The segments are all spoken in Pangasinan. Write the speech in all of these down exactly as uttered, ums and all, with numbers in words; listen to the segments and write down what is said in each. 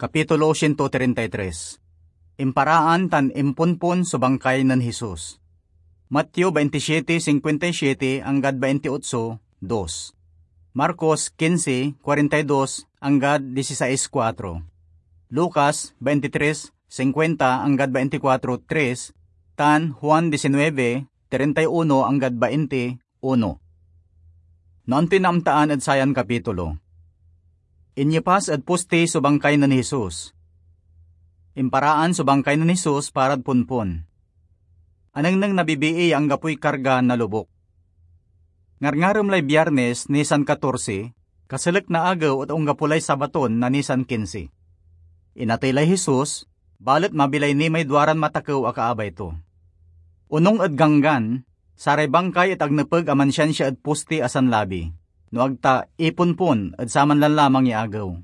Kapitulo siento treinta y tres. Imparaan tan imponpon so bangkay nen Jesus. Mateo veintisiete cincuenta y siete anggad veintiocho dos. Marcos quince cuarenta y dos anggad dieciséis cuatro. Lucas veintitrés cincuenta anggad veinticuatro tres, tan Juan diecinueve treinta y uno anggad veinte uno. No antoy naamtaan ed sayan kapitulo? Inyepas ed posti so bangkay nen Jesus. Imparaan so bangkay nen Jesus parad ponpon. Anengneng na bibii ya anggapoy karga na lobuk. Ngarngarem lay Biyernes, Nisan katorse, kaselek na agew et onggapo lay Sabaton na Nisan kinse. Inatey lay Jesus, balet mabilay ni may duaran matakew a kaabay to. Onung ed Ganggan, saray bangkay et ag nepeg a mansiansia ed posti a sanlabi, no ag ta iponpon ed saman lanlamang ya agew.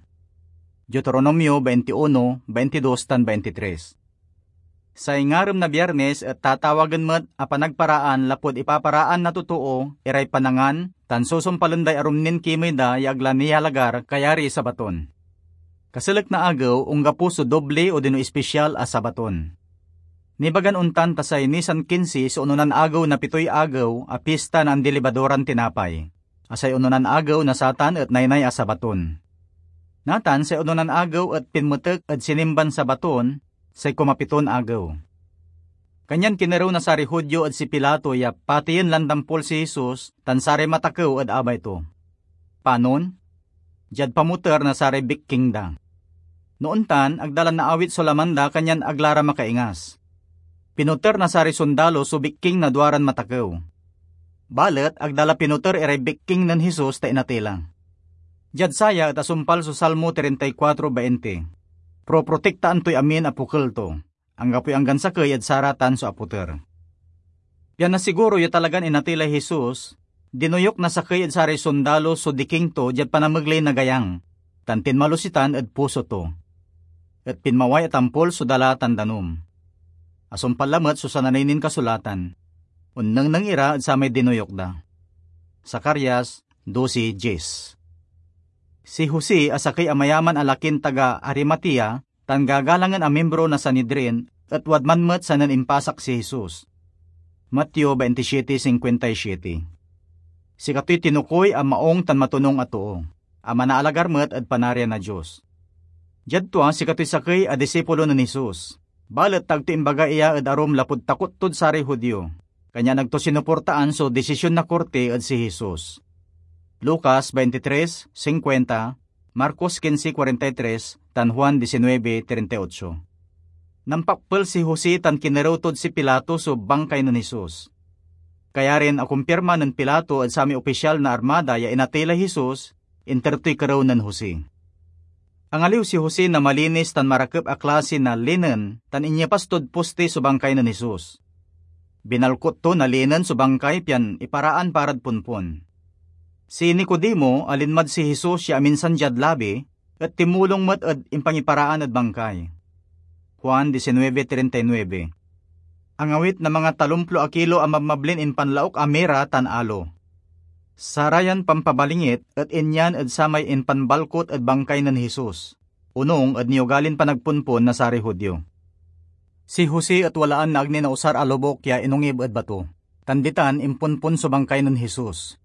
Deuteronomio veintiuno, veintidós tan veintitrés. Say ngarem na Biyernes et tatawagen met a panagparaan lapud ipaparaan na totoo iray panangan tan susumpalen day arum nin kimey da ya ag la niyalagar kayariy Sabaton. Kaselek na agew, onggapo so doble odino ispisial a Sabaton. Nibagan ontan ta say Nisan kinse so ononan agew na pitoy agew a Pista na Andilibadoran Tinapay, a say ononan agew na satan et naynay a Sabaton. Natan say ononan agew et pinmetek ed sinimban Sabaton, say kumapiton agew. Kanyan kinerew na saray Judio ed si Pilato ya pateyen lan tampol si Jesus tan saray matakew ed abay to. Panon? Diad pamoter na saray bikking da. No ontan, ag da la naawit so laman da, kanyan ag la ra makaingas. Pinoter na saray sondalo so bikking na duaran matakew. Balet ag da la pinoter iray bikking nen Jesus ta inatey la. Diad saya et asumpal so Salmo treinta y cuatro veinte, "Proprotektaan toy amin a pokel to. Anggapoy anggan sakey ed saratan so apoter." Pian nasiguro ya talagan inatey lay Jesus, dinoyuk na sakey ed saray sondalo so diking to diad panamegley na gayang, tan tinmalos itan ed puso to. Et pinmaway a tampol so dala tan danum. Asumpal lamet so sananey nin kasulatan. Onnengneng ira ed samay dinoyuk da. Zacarias doce diez. Si Jose a sakey a mayaman a lakin taga Arimatea tan gagalangen a miembro na Sanedrin et wadman met sanen impasak si Jesus. Mateo veintisiete cincuenta y siete. Sikatoy tinukoy a maung tan matonung a too, a manaalagar met ed Panarian na Dios. Diad tua, sikatoy sakey a disipulo nen Jesus, balet ta ag to imbaga iya ed arum lapud takot tod saray Judio, kanyan ag to sinuportaan so desisyon na korti ed si Jesus. Lucas veintitrés cincuenta, Marcos quince cuarenta y tres, tan Juan diecinueve treinta y ocho. Nampakpel si Jose tan kinerew tod si Pilato so bangkay nen Jesus. Kayarin akumpirma nen Pilato ed samay opisyal na armada ya inatey lay Jesus, inter toy kerew nen Jose. Angaliw si Jose na malinis tan marakep a klase na linen tan inyepas tod poste so bangkay nen Jesus. Binalkot to na linen so bangkay pian iparaan parad ponpon. Si Nicodemo, a linmad si Jesus ya aminsan diad labi, et tinmulong met ed impangiparaan ed bangkay. Juan diecinueve treinta y nueve. Angawit na mangatalomplo a kilo a mabmablin impanlaok a mira tan alo. Sarayan pampabalingit et inyan ed samay impanbalkot ed bangkay nen Jesus, onung ed niugalin panagponpon na saray Judio. Si Jose et walaan na ag ni nausar a lobuk ya inongib ed bato, tan ditan imponpon so bangkay nen Jesus.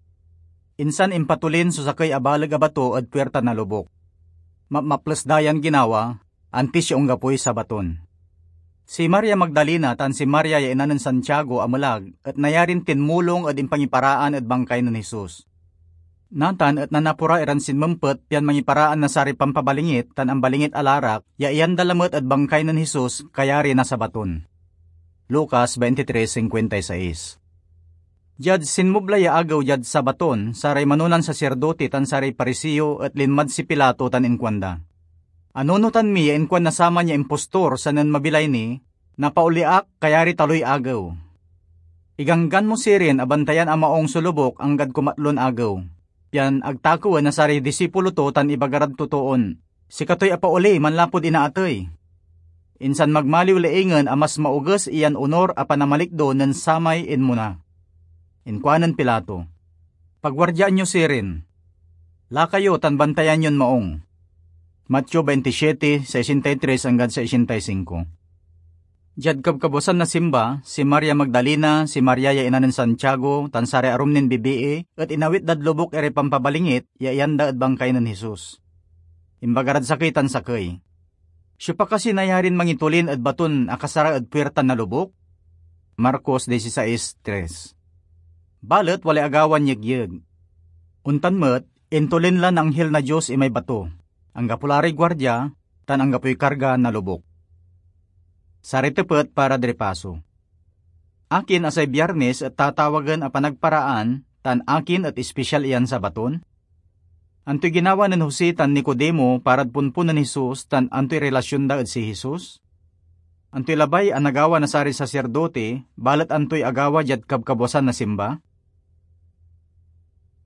Insan impatolin so sakey a baleg a bato ed puirta na lobuk. Mapmaples da yan ginawa, antis ya onggapoy Sabaton. Si Maria Magdalena tan si Maria ya ina nen Santiago a melag et nayarin tinmulong ed impangiparaan ed bangkay nen Jesus. Natan et nanapora iran sinmempet pian mangiparaan na saray pampabalingit tan ambalingit a larak ya iyan da lamet ed bangkay nen Jesus kayari na Sabaton. Lucas veintitrés cincuenta y seis. Diad sinmubla ya agew diad Sabaton, saray manonan saserdote tan saray Pariseo et linmad si Pilato tan inkuanda, "Anunotan mi ya inkuan na saman ya impostor sanen mabilay ni, 'Napaoli ak kayari taloy agew.' Iganggan mo sirin a bantayan a maung so lobuk anggad kumatlon agew, pian ag takewen na saray disipulo to tan ibaga rad totoon, 'Sikatoy apaoli manlapud inaatey.' Insan magmaliw laingen a mas maoges iyan onor a panamalikdo nen samay inmona." Inkuanen Pilato, "Paguardiaan yo sirin. Laka yo tan bantayan yon maung." Mateo twenty-seven, sesenta y tres anggad sesenta y cinco. Diad kabkabuasan na simba, si Maria Magdalena, si Maria ya ina nen Santiago, tan saray arum nin bibii et inawit dad lobuk iray pampabalingit ya iyan da ed bangkay nen Jesus. Imbaga rad sakey tan sakey, "Siopa kasi nayarin mangitolin ed baton akasara ed puirta na lobuk?" Marcos dieciséis tres. Balet walay agawan yegyeg. Ontan met, intolin lan anghil na Dios imay bato. Anggapo la ray guardia, tan anggapoy karga na lobuk. Saray tepet para di ripaso. Akin a say Biyernes et tatawagen a panagparaan, tan akin et ispisial iyan Sabaton? Antoy ginawa nen Jose tan Nicodemo parad ponpon nen Jesus, tan antoy relasyon da ed si Jesus? Antoy labay a nagawa na saray saserdote, balet antoy agawa diad kabkabuasan na simba?